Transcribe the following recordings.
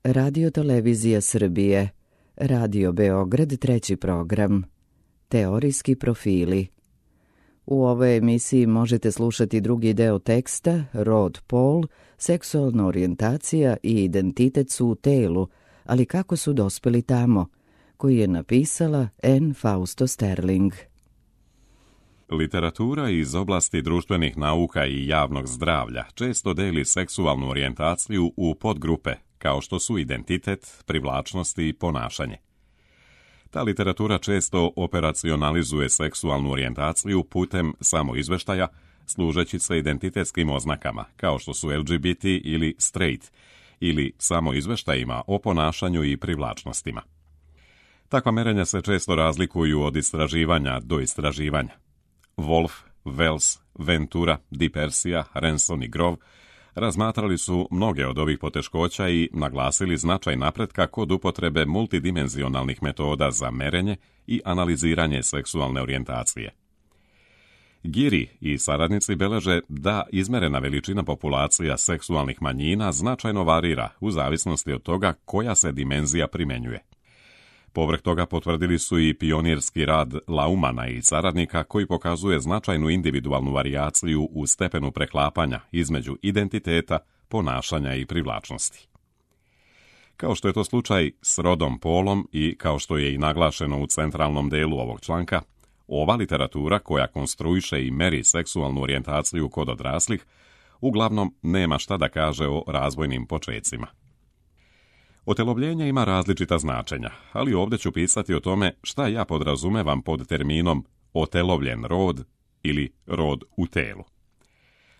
Radio Televizija Srbije, Radio Beograd, treći program, Teorijski profili. U ovoj emisiji možete slušati drugi deo teksta, rod, pol, seksualna orijentacija i identitet su u telu, ali kako su dospeli tamo, koji je napisala N. Fausto Sterling. Literatura iz oblasti društvenih nauka i javnog zdravlja često deli seksualnu orijentaciju u podgrupe, kao što su identitet, privlačnost i ponašanje. Ta literatura često operacionalizuje seksualnu orijentaciju putem samoizveštaja, služeći se identitetskim oznakama, kao što su LGBT ili straight, ili samoizveštajima o ponašanju i privlačnostima. Takva merenja se često razlikuju od istraživanja do istraživanja. Wolf, Wells, Ventura, Di Persia, Renson i Grove razmatrali su mnoge od ovih poteškoća i naglasili značaj napretka kod upotrebe multidimenzionalnih metoda za merenje i analiziranje seksualne orijentacije. Giri i saradnici beleže da izmerena veličina populacija seksualnih manjina značajno varira u zavisnosti od toga koja se dimenzija primenjuje. Povrh toga potvrdili su i pionirski rad Laumana i saradnika koji pokazuje značajnu individualnu varijaciju u stepenu preklapanja između identiteta, ponašanja i privlačnosti. Kao što je to slučaj s rodom, polom i kao što je i naglašeno u centralnom delu ovog članka, ova literatura koja konstruiše i meri seksualnu orijentaciju kod odraslih uglavnom nema šta da kaže o razvojnim počecima. Otelovljenje ima različita značenja, ali ovdje ću pisati o tome šta ja podrazumevam pod terminom otelovljen rod ili rod u telu.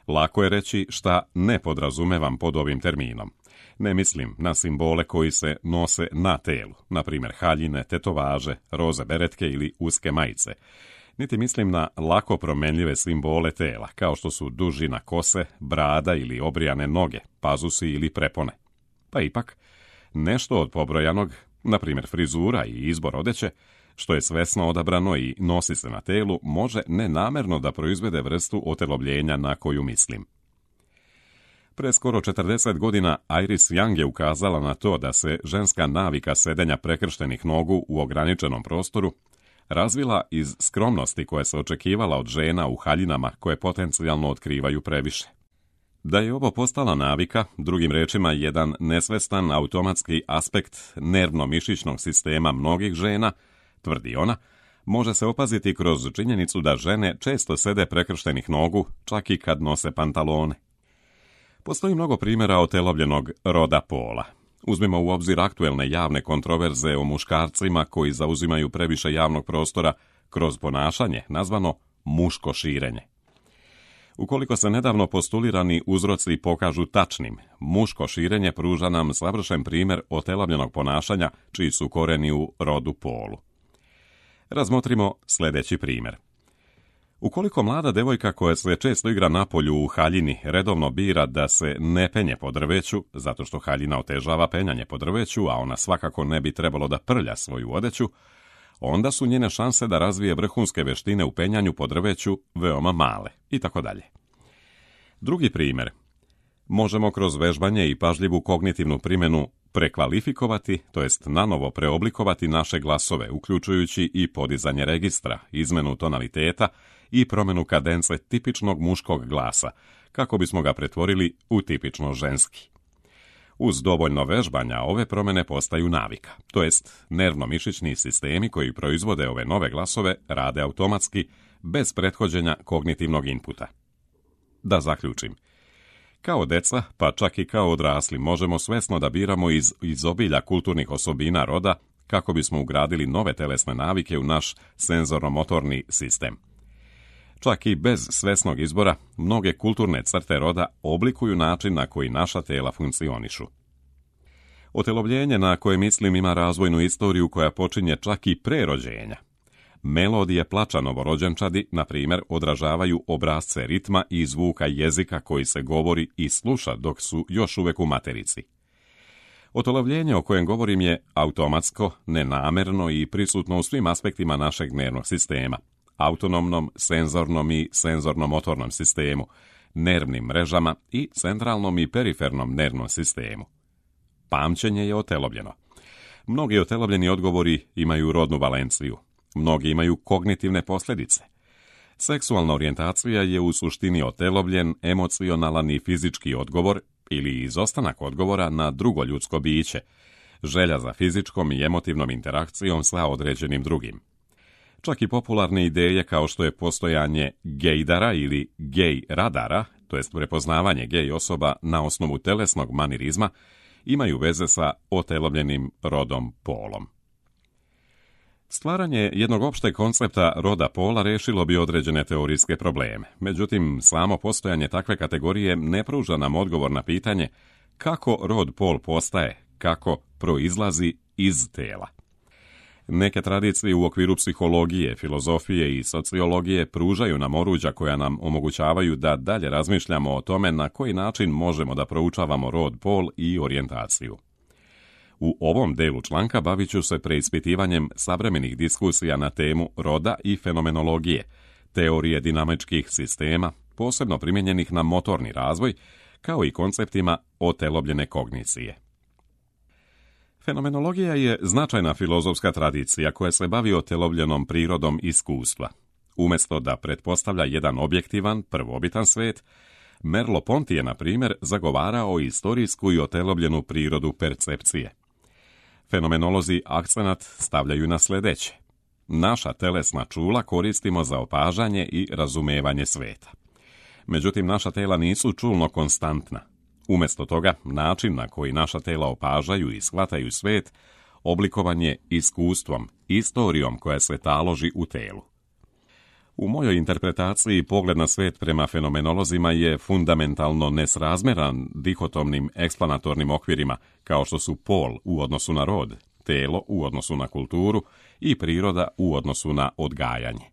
Lako je reći šta ne podrazumevam pod ovim terminom. Ne mislim na simbole koji se nose na telu, na primjer haljine, tetovaže, roze beretke ili uske majice. Niti mislim na lako promenljive simbole tela, kao što su dužina kose, brada ili obrijane noge, pazusi ili prepone. Pa ipak, nešto od pobrojanog, na primjer frizura i izbor odeće, što je svesno odabrano i nosi se na telu, može nenamerno da proizvede vrstu otelovljenja na koju mislim. Pre skoro 40 godina Iris Young je ukazala na to da se ženska navika sedenja prekrštenih nogu u ograničenom prostoru razvila iz skromnosti koja se očekivala od žena u haljinama koje potencijalno otkrivaju previše. Da je ovo postala navika, drugim rečima jedan nesvestan automatski aspekt nervno-mišićnog sistema mnogih žena, tvrdi ona, može se opaziti kroz činjenicu da žene često sede prekrštenih nogu, čak i kad nose pantalone. Postoji mnogo primjera otelovljenog roda pola. Uzmimo u obzir aktuelne javne kontroverze o muškarcima koji zauzimaju previše javnog prostora kroz ponašanje nazvano muško širenje. Ukoliko se nedavno postulirani uzroci pokažu tačnim, muško širenje pruža nam savršen primjer otelovljenog ponašanja čiji su koreni u rodu polu. Razmotrimo sljedeći primjer. Ukoliko mlada devojka koja se često igra napolju u haljini redovno bira da se ne penje po drveću, zato što haljina otežava penjanje po drveću, a ona svakako ne bi trebalo da prlja svoju odeću, onda su njene šanse da razvije vrhunske veštine u penjanju po drveću veoma male, itd. Drugi primjer. Možemo kroz vežbanje i pažljivu kognitivnu primjenu prekvalifikovati, to jest nanovo preoblikovati naše glasove, uključujući i podizanje registra, izmenu tonaliteta i promjenu kadence tipičnog muškog glasa, kako bismo ga pretvorili u tipično ženski. Uz dovoljno vežbanja ove promjene postaju navika, to jest nervno-mišićni sistemi koji proizvode ove nove glasove rade automatski, bez prethođenja kognitivnog inputa. Da zaključim. Kao deca, pa čak i kao odrasli, možemo svesno da biramo iz obilja kulturnih osobina roda kako bismo ugradili nove telesne navike u naš senzorno-motorni sistem. Čak i bez svesnog izbora, mnoge kulturne crte roda oblikuju način na koji naša tela funkcionišu. Otelovljenje na koje mislim ima razvojnu istoriju koja počinje čak i pre rođenja. Melodije plača novorođenčadi, na primjer, odražavaju obrasce ritma i zvuka jezika koji se govori i sluša dok su još uvek u materici. Otelovljenje o kojem govorim je automatsko, nenamerno i prisutno u svim aspektima našeg nervnog sistema, autonomnom, senzornom i senzorno-motornom sistemu, nervnim mrežama i centralnom i perifernom nervnom sistemu. Pamćenje je otelobljeno. Mnogi otelobljeni odgovori imaju rodnu valenciju. Mnogi imaju kognitivne posljedice. Seksualna orijentacija je u suštini otelobljen, emocionalan i fizički odgovor ili izostanak odgovora na drugo ljudsko biće, želja za fizičkom i emotivnom interakcijom sa određenim drugim. Čak i popularne ideje kao što je postojanje gejdara ili gej radara, to jest prepoznavanje gej osoba na osnovu telesnog manirizma, imaju veze sa otelobljenim rodom polom. Stvaranje jednog opšteg koncepta roda pola rešilo bi određene teorijske probleme. Međutim, samo postojanje takve kategorije ne pruža nam odgovor na pitanje kako rod pol postaje, kako proizlazi iz tela. Neke tradicije u okviru psihologije, filozofije i sociologije pružaju nam oruđa koja nam omogućavaju da dalje razmišljamo o tome na koji način možemo da proučavamo rod, pol i orijentaciju. U ovom delu članka bavit ću se preispitivanjem savremenih diskusija na temu roda i fenomenologije, teorije dinamičkih sistema, posebno primjenjenih na motorni razvoj, kao i konceptima otelobljene kognicije. Fenomenologija je značajna filozofska tradicija koja se bavi otelobljenom prirodom iskustva. Umjesto da pretpostavlja jedan objektivan, prvobitan svet, Merleau-Ponty je, na primjer, zagovarao istorijsku i otelobljenu prirodu percepcije. Fenomenolozi akcenat stavljaju na sljedeće. Naša telesna čula koristimo za opažanje i razumevanje sveta. Međutim, naša tela nisu čulno konstantna. Umjesto toga, način na koji naša tela opažaju i shvataju svet oblikovan je iskustvom, istorijom koja se taloži u telu. U mojoj interpretaciji pogled na svet prema fenomenolozima je fundamentalno nesrazmeran dihotomnim eksplanatornim okvirima, kao što su pol u odnosu na rod, telo u odnosu na kulturu i priroda u odnosu na odgajanje.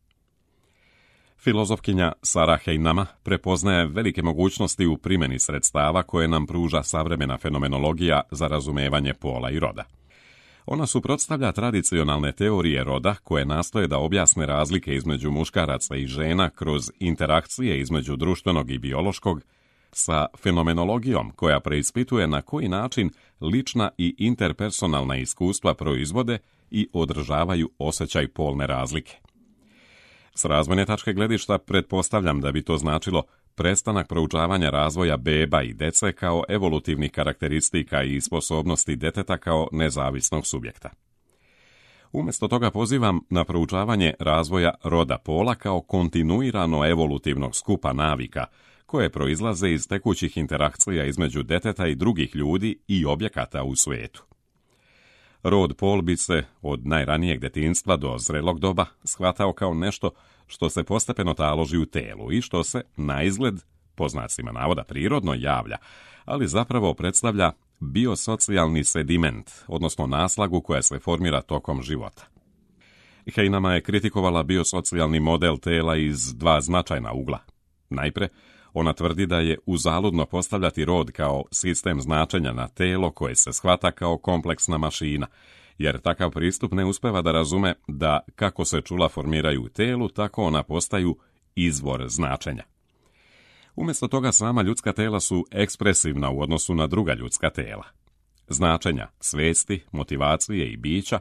Filozofkinja Sarah Heinama prepoznaje velike mogućnosti u primjeni sredstava koje nam pruža savremena fenomenologija za razumevanje pola i roda. Ona suprotstavlja tradicionalne teorije roda koje nastoje da objasne razlike između muškaraca i žena kroz interakcije između društvenog i biološkog sa fenomenologijom koja preispituje na koji način lična i interpersonalna iskustva proizvode i održavaju osjećaj polne razlike. S razvojne tačke gledišta pretpostavljam da bi to značilo prestanak proučavanja razvoja beba i dece kao evolutivnih karakteristika i sposobnosti deteta kao nezavisnog subjekta. Umjesto toga pozivam na proučavanje razvoja roda pola kao kontinuirano evolutivnog skupa navika koje proizlaze iz tekućih interakcija između deteta i drugih ljudi i objekata u svijetu. Rod pol bi se od najranijeg detinjstva do zrelog doba shvatao kao nešto što se postepeno taloži u telu i što se, na izgled, po znacima navoda prirodno javlja, ali zapravo predstavlja biosocijalni sediment, odnosno naslagu koja se formira tokom života. Heinama je kritikovala biosocijalni model tela iz dva značajna ugla. Najpre, ona tvrdi da je uzaludno postavljati rod kao sistem značenja na telo koje se shvata kao kompleksna mašina, jer takav pristup ne uspeva da razume da kako se čula formiraju u telu, tako ona postaju izvor značenja. Umjesto toga sama ljudska tela su ekspresivna u odnosu na druga ljudska tela. Značenja, svesti, motivacije i bića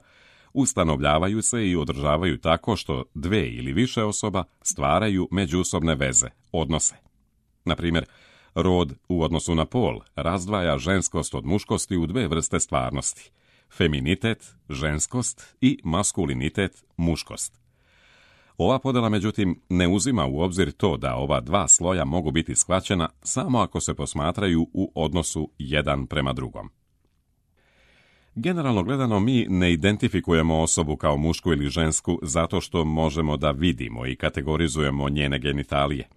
ustanovljavaju se i održavaju tako što dve ili više osoba stvaraju međusobne veze, odnose. Na primjer, rod u odnosu na pol razdvaja ženskost od muškosti u dve vrste stvarnosti. Feminitet, ženskost i maskulinitet, muškost. Ova podjela, međutim, ne uzima u obzir to da ova dva sloja mogu biti shvaćena samo ako se posmatraju u odnosu jedan prema drugom. Generalno gledano, mi ne identifikujemo osobu kao mušku ili žensku zato što možemo da vidimo i kategorizujemo njene genitalije.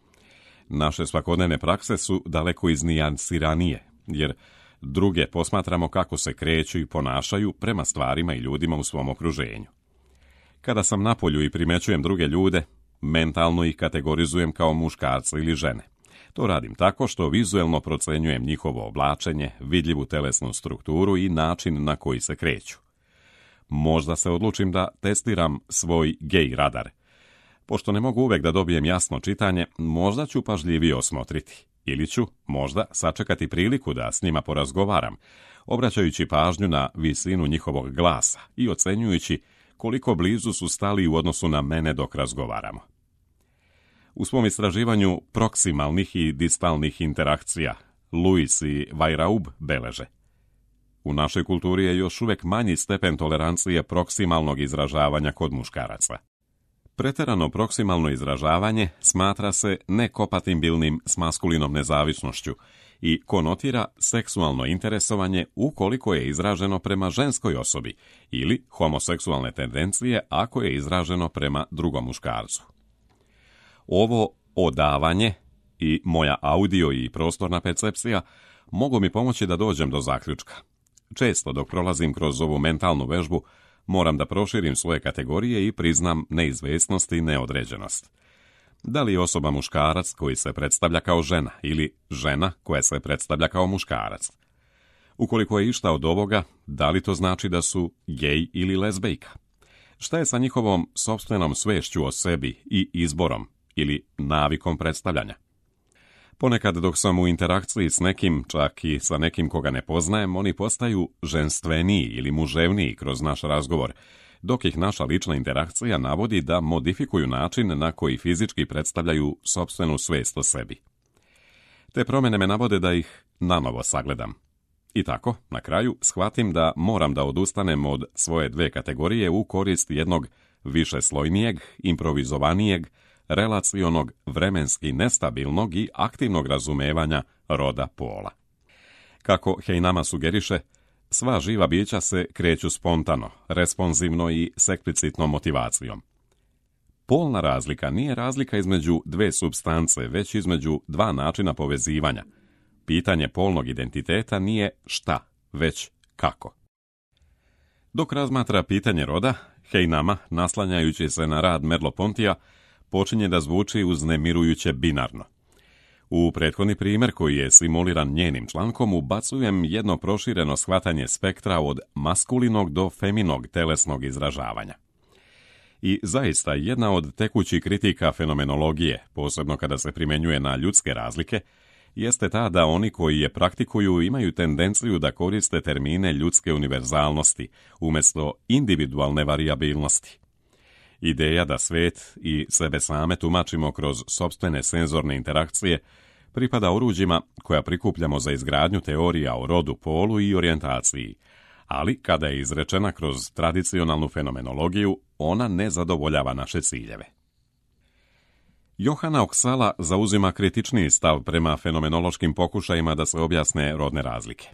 Naše svakodnevne prakse su daleko iznijansiranije, jer druge posmatramo kako se kreću i ponašaju prema stvarima i ljudima u svom okruženju. Kada sam na polju i primećujem druge ljude, mentalno ih kategorizujem kao muškarce ili žene. To radim tako što vizuelno procenjujem njihovo oblačenje, vidljivu telesnu strukturu i način na koji se kreću. Možda se odlučim da testiram svoj gej radar. Pošto ne mogu uvek da dobijem jasno čitanje, možda ću pažljivije osmotriti. ili ću možda sačekati priliku da s njima porazgovaram, obraćajući pažnju na visinu njihovog glasa i ocenjujući koliko blizu su stali u odnosu na mene dok razgovaramo. U svom istraživanju proksimalnih i distalnih interakcija Lewis i Weiraub beleže: u našoj kulturi je još uvijek manji stepen tolerancije proksimalnog izražavanja kod muškaraca. Pretjerano proksimalno izražavanje smatra se nekompatibilnim s maskulinom nezavisnošću i konotira seksualno interesovanje ukoliko je izraženo prema ženskoj osobi ili homoseksualne tendencije ako je izraženo prema drugom muškarcu. Ovo odavanje i moja audio i prostorna percepcija mogu mi pomoći da dođem do zaključka. Često dok prolazim kroz ovu mentalnu vežbu, moram da proširim svoje kategorije i priznam neizvjesnost i neodređenost. Da li je osoba muškarac koji se predstavlja kao žena ili žena koja se predstavlja kao muškarac? Ukoliko je išta od ovoga, da li to znači da su gej ili lezbejka? Šta je sa njihovom sopstvenom svešću o sebi i izborom ili navikom predstavljanja? Ponekad dok sam u interakciji s nekim, čak i sa nekim koga ne poznajem, oni postaju ženstveniji ili muževniji kroz naš razgovor, dok ih naša lična interakcija navodi da modifikuju način na koji fizički predstavljaju sopstvenu svest o sebi. Te promjene me navode da ih nanovo sagledam. I tako, na kraju, shvatim da moram da odustanem od svoje dve kategorije u korist jednog višeslojnijeg, improvizovanijeg, relacionog, vremenski nestabilnog i aktivnog razumevanja roda pola. Kako Heinama sugeriše, sva živa bića se kreću spontano, responsivno i s eksplicitnom motivacijom. Polna razlika nije razlika između dve supstance, već između dva načina povezivanja. Pitanje polnog identiteta nije šta, već kako. Dok razmatra pitanje roda, Heinama, naslanjajući se na rad Merleau-Pontyja, počinje da zvuči uznemirujuće binarno. U prethodni primjer, koji je simuliran njenim člankom, ubacujem jedno prošireno shvatanje spektra od maskulinog do feminog telesnog izražavanja. I zaista jedna od tekućih kritika fenomenologije, posebno kada se primjenjuje na ljudske razlike, jeste ta da oni koji je praktikuju imaju tendenciju da koriste termine ljudske univerzalnosti umjesto individualne varijabilnosti. Ideja da svet i sebe same tumačimo kroz sopstvene senzorne interakcije pripada oruđima koja prikupljamo za izgradnju teorija o rodu, polu i orijentaciji, ali kada je izrečena kroz tradicionalnu fenomenologiju, ona ne zadovoljava naše ciljeve. Johana Oksala zauzima kritičniji stav prema fenomenološkim pokušajima da se objasne rodne razlike.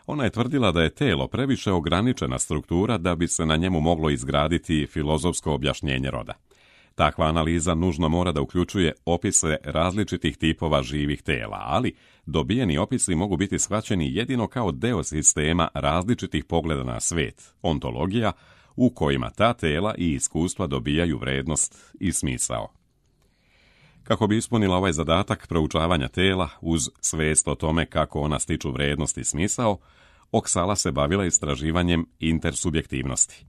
Ona je tvrdila da je telo previše ograničena struktura da bi se na njemu moglo izgraditi filozofsko objašnjenje roda. Takva analiza nužno mora da uključuje opise različitih tipova živih tela, ali dobijeni opisi mogu biti shvaćeni jedino kao deo sistema različitih pogleda na svet, ontologija, u kojima ta tela i iskustva dobijaju vrednost i smisao. Kako bi ispunila ovaj zadatak proučavanja tela uz svest o tome kako ona stiču vrednost i smisao, Oksala se bavila istraživanjem intersubjektivnosti.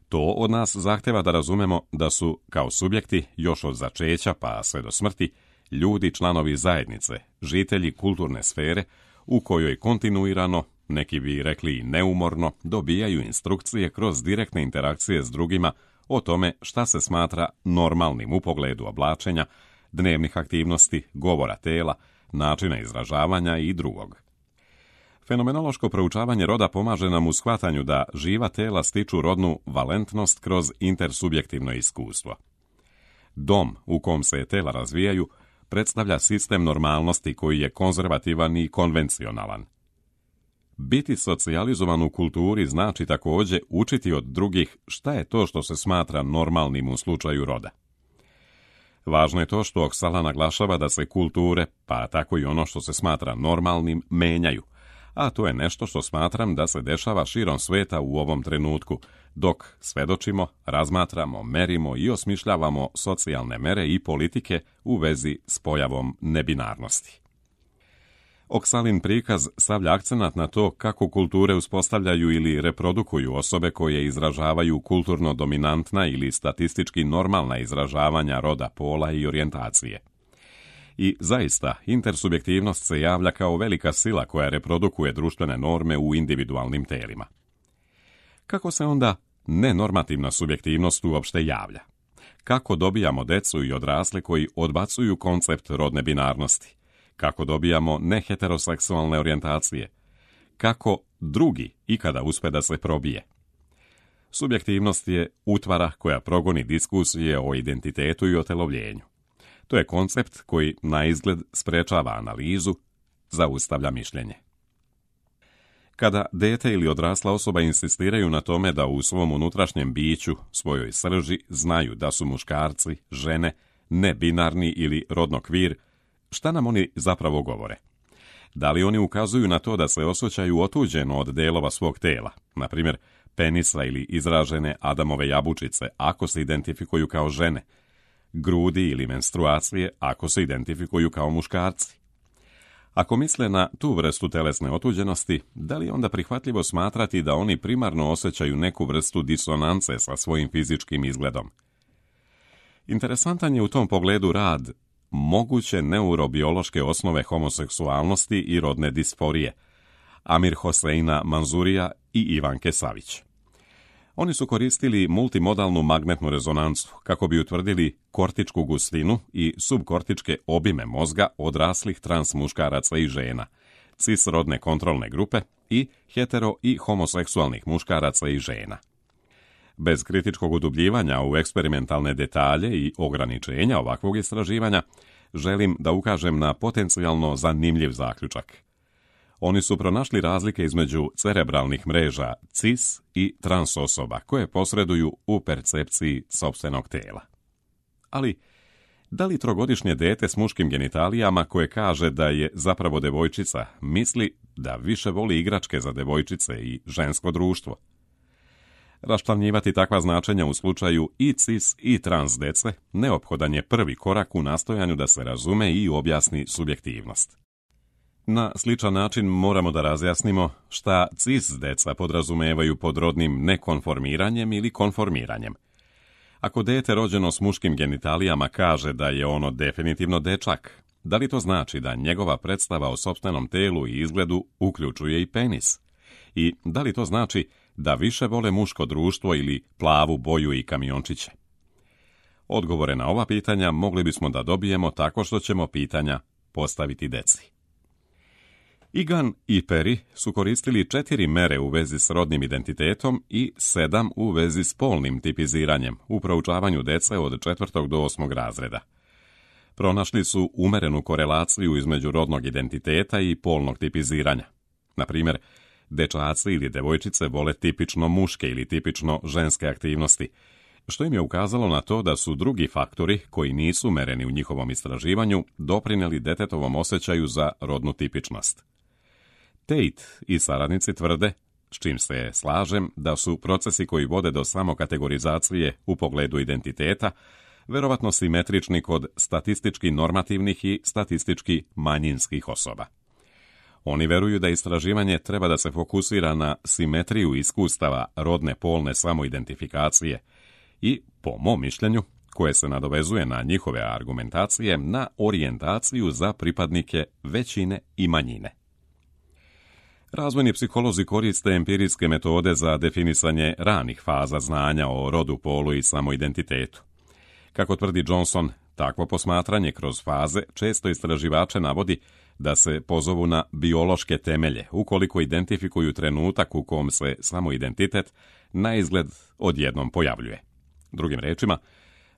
To od nas zahteva da razumemo da su, kao subjekti, još od začeća pa sve do smrti, ljudi članovi zajednice, žitelji kulturne sfere u kojoj kontinuirano, neki bi rekli i neumorno, dobijaju instrukcije kroz direktne interakcije s drugima o tome šta se smatra normalnim u pogledu oblačenja, dnevnih aktivnosti, govora tela, načina izražavanja i drugog. Fenomenološko proučavanje roda pomaže nam u shvatanju da živa tela stiču rodnu valentnost kroz intersubjektivno iskustvo. Dom u kom se tela razvijaju predstavlja sistem normalnosti koji je konzervativan i konvencionalan. Biti socijalizovan u kulturi znači također učiti od drugih šta je to što se smatra normalnim u slučaju roda. Važno je to što Oksala naglašava da se kulture, pa tako i ono što se smatra normalnim, menjaju, a to je nešto što smatram da se dešava širom sveta u ovom trenutku, dok svedočimo, razmatramo, merimo i osmišljavamo socijalne mere i politike u vezi s pojavom nebinarnosti. Oksalin prikaz stavlja akcenat na to kako kulture uspostavljaju ili reprodukuju osobe koje izražavaju kulturno dominantna ili statistički normalna izražavanja roda, pola i orijentacije. I zaista, intersubjektivnost se javlja kao velika sila koja reprodukuje društvene norme u individualnim telima. Kako se onda nenormativna subjektivnost uopšte javlja? Kako dobijamo decu i odrasle koji odbacuju koncept rodne binarnosti? Kako dobijamo neheteroseksualne orijentacije? Kako drugi ikada uspe da se probije? Subjektivnost je utvara koja progoni diskusije o identitetu i otelovljenju. To je koncept koji na izgled sprečava analizu, zaustavlja mišljenje. Kada dete ili odrasla osoba insistiraju na tome da u svom unutrašnjem biću, svojoj srži, znaju da su muškarci, žene, nebinarni ili rodno kvir, šta nam oni zapravo govore? Da li oni ukazuju na to da se osjećaju otuđeno od delova svog tela, na primjer penisa ili izražene Adamove jabučice, ako se identifikuju kao žene, grudi ili menstruacije, ako se identifikuju kao muškarci? Ako misle na tu vrstu telesne otuđenosti, da li je onda prihvatljivo smatrati da oni primarno osjećaju neku vrstu disonance sa svojim fizičkim izgledom? Interesantan je u tom pogledu rad Moguće neurobiološke osnove homoseksualnosti i rodne disforije Amir Hoseina Manzurija i Ivanke Savić. Oni su koristili multimodalnu magnetnu rezonancu kako bi utvrdili kortičku gustinu i subkortičke obime mozga odraslih trans muškaraca i žena, cisrodne kontrolne grupe i hetero i homoseksualnih muškaraca i žena. Bez kritičkog udubljivanja u eksperimentalne detalje i ograničenja ovakvog istraživanja, želim da ukažem na potencijalno zanimljiv zaključak. Oni su pronašli razlike između cerebralnih mreža cis i trans osoba koje posreduju u percepciji sopstvenog tela. Ali, da li trogodišnje dete s muškim genitalijama koje kaže da je zapravo devojčica misli da više voli igračke za devojčice i žensko društvo? Raščlanjivati takva značenja u slučaju i cis i trans dece neophodan je prvi korak u nastojanju da se razume i objasni subjektivnost. Na sličan način moramo da razjasnimo šta cis deca podrazumevaju pod rodnim nekonformiranjem ili konformiranjem. Ako dete rođeno s muškim genitalijama kaže da je ono definitivno dečak, da li to znači da njegova predstava o sopstvenom telu i izgledu uključuje i penis? I da li to znači da više vole muško društvo ili plavu boju i kamiončiće? Odgovore na ova pitanja mogli bismo da dobijemo tako što ćemo pitanja postaviti deci. Egan i Perry su koristili 4 mere u vezi s rodnim identitetom i 7 u vezi s polnim tipiziranjem u proučavanju dece od 4. do 8. razreda. Pronašli su umerenu korelaciju između rodnog identiteta i polnog tipiziranja. Na primjer, dečaci ili devojčice vole tipično muške ili tipično ženske aktivnosti, što im je ukazalo na to da su drugi faktori koji nisu mereni u njihovom istraživanju doprinijeli detetovom osjećaju za rodnu tipičnost. Tate i saradnici tvrde, s čim se slažem, da su procesi koji vode do samokategorizacije u pogledu identiteta verovatno simetrični kod statistički normativnih i statistički manjinskih osoba. Oni veruju da istraživanje treba da se fokusira na simetriju iskustava rodne polne samoidentifikacije i, po mom mišljenju, koje se nadovezuje na njihove argumentacije, na orijentaciju za pripadnike većine i manjine. Razvojni psiholozi koriste empirijske metode za definisanje ranih faza znanja o rodu, polu i samoidentitetu. Kako tvrdi Johnson, takvo posmatranje kroz faze često istraživače navodi da se pozovu na biološke temelje ukoliko identifikuju trenutak u kom se samoidentitet na izgled odjednom pojavljuje. Drugim rečima,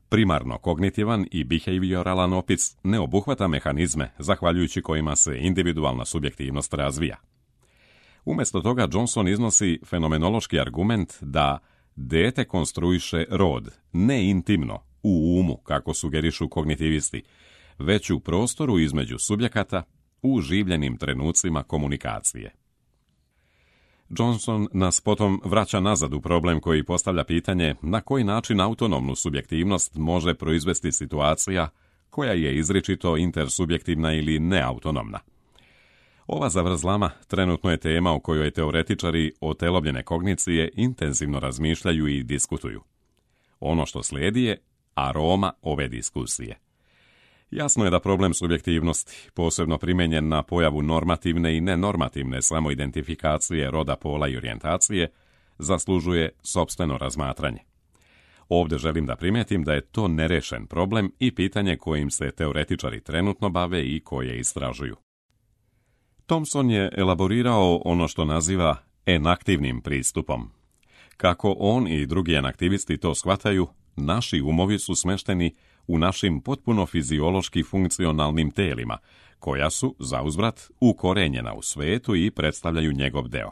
primarno kognitivan i behavioralan opis ne obuhvata mehanizme zahvaljujući kojima se individualna subjektivnost razvija. Umjesto toga Johnson iznosi fenomenološki argument da dete konstruiše rod ne intimno, u umu, kako sugerišu kognitivisti, već u prostoru između subjekata u življenim trenucima komunikacije. Johnson nas potom vraća nazad u problem koji postavlja pitanje na koji način autonomnu subjektivnost može proizvesti situacija koja je izričito intersubjektivna ili neautonomna. Ova zavrzlama trenutno je tema o kojoj teoretičari otelovljene kognicije intenzivno razmišljaju i diskutuju. Ono što slijedi je aroma ove diskusije. Jasno je da problem subjektivnosti, posebno primijenjen na pojavu normativne i nenormativne samoidentifikacije roda, pola i orijentacije, zaslužuje sopstveno razmatranje. Ovdje želim da primijetim da je to nerešen problem i pitanje kojim se teoretičari trenutno bave i koje istražuju. Thompson je elaborirao ono što naziva enaktivnim pristupom. Kako on i drugi enaktivisti to shvataju, naši umovi su smešteni u našim potpuno fiziološki funkcionalnim telima, koja su, zauzvrat, ukorenjena u svetu i predstavljaju njegov deo.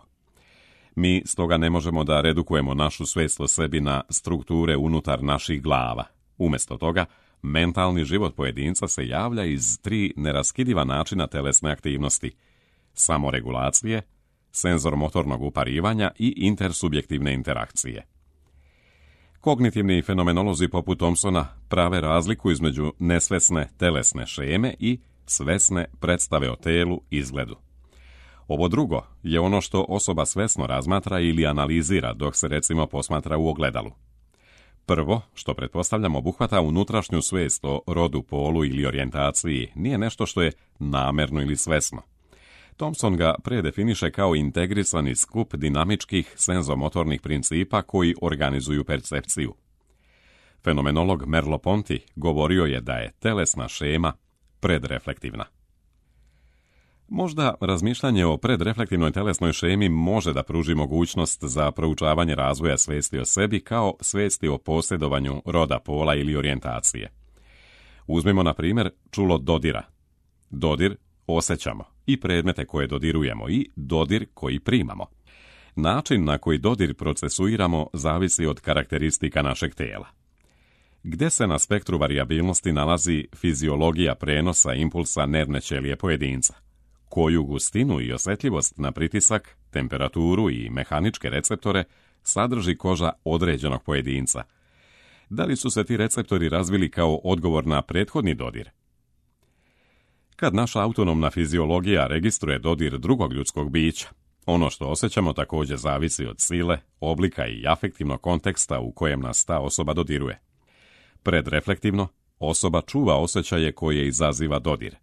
Mi stoga ne možemo da redukujemo našu svest o sebi na strukture unutar naših glava. Umjesto toga, mentalni život pojedinca se javlja iz 3 neraskidiva načina telesne aktivnosti: samoregulacije, senzor-motornog uparivanja i intersubjektivne interakcije. Kognitivni fenomenolozi poput Thompsona prave razliku između nesvesne telesne šeme i svesne predstave o telu i izgledu. Ovo drugo je ono što osoba svesno razmatra ili analizira dok se recimo posmatra u ogledalu. Prvo, što pretpostavljam obuhvata unutrašnju svest o rodu, polu ili orijentaciji, nije nešto što je namerno ili svesno. Thompson ga predefiniše kao integrisani skup dinamičkih senzomotornih principa koji organizuju percepciju. Fenomenolog Merleau-Ponty govorio je da je telesna šema predreflektivna. Možda razmišljanje o predreflektivnoj telesnoj šemi može da pruži mogućnost za proučavanje razvoja svesti o sebi kao svesti o posjedovanju roda, pola ili orijentacije. Uzmimo na primjer čulo dodira. Dodir osjećamo i predmete koje dodirujemo i dodir koji primamo. Način na koji dodir procesuiramo zavisi od karakteristika našeg tela. Gde se na spektru varijabilnosti nalazi fiziologija prenosa impulsa nervne ćelije pojedinca? Koju gustinu i osjetljivost na pritisak, temperaturu i mehaničke receptore sadrži koža određenog pojedinca? Da li su se ti receptori razvili kao odgovor na prethodni dodir? Kad naša autonomna fiziologija registruje dodir drugog ljudskog bića, ono što osjećamo također zavisi od sile, oblika i afektivnog konteksta u kojem nas ta osoba dodiruje. Predreflektivno, osoba čuva osjećaje koje izaziva dodir.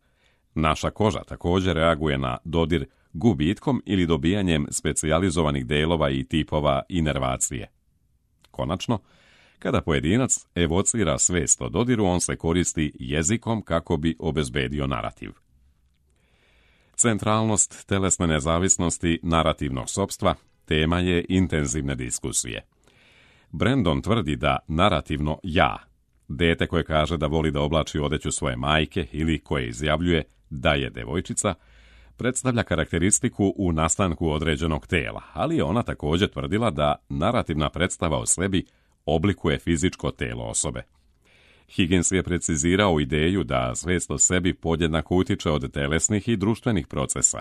Naša koža također reaguje na dodir gubitkom ili dobijanjem specijalizovanih delova i tipova inervacije. Konačno, kada pojedinac evocira svest o dodiru, on se koristi jezikom kako bi obezbedio narativ. Centralnost telesne nezavisnosti narativnog sopstva tema je intenzivne diskusije. Brandon tvrdi da narativno ja, dete koje kaže da voli da oblači odeću svoje majke ili koje izjavljuje da je devojčica, predstavlja karakteristiku u nastanku određenog tela, ali je ona također tvrdila da narativna predstava o sebi oblikuje fizičko telo osobe. Higgins je precizirao ideju da svest o sebi podjednako utiče od telesnih i društvenih procesa.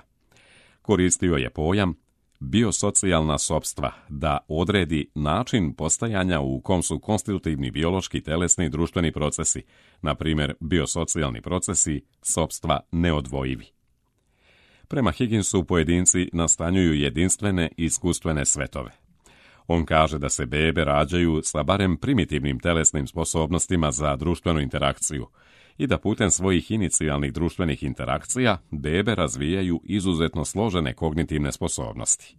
Koristio je pojam biosocijalna sopstva da odredi način postajanja u kom su konstitutivni biološki, telesni i društveni procesi, na primjer biosocijalni procesi, sopstva neodvojivi. Prema Higginsu pojedinci nastanjuju jedinstvene iskustvene svetove. On kaže da se bebe rađaju sa barem primitivnim telesnim sposobnostima za društvenu interakciju i da putem svojih inicijalnih društvenih interakcija bebe razvijaju izuzetno složene kognitivne sposobnosti.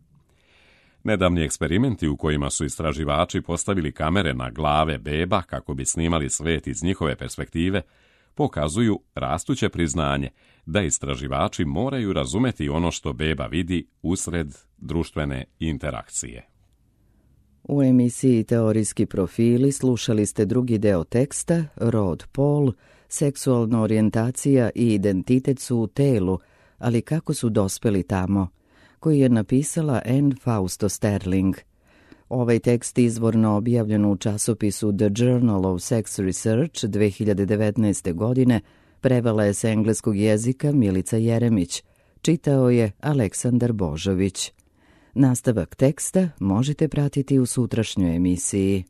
Nedavni eksperimenti u kojima su istraživači postavili kamere na glave beba kako bi snimali svet iz njihove perspektive, pokazuju rastuće priznanje da istraživači moraju razumeti ono što beba vidi usred društvene interakcije. U emisiji Teorijski profili slušali ste drugi deo teksta Rod, pol, seksualna orijentacija i identitet su u telu, ali kako su dospeli tamo, koji je napisala Anne Fausto Sterling. Ovaj tekst izvorno objavljen u časopisu The Journal of Sex Research 2019. godine prevela je s engleskog jezika Milica Jeremić, čitao je Aleksandar Božović. Nastavak teksta možete pratiti u sutrašnjoj emisiji.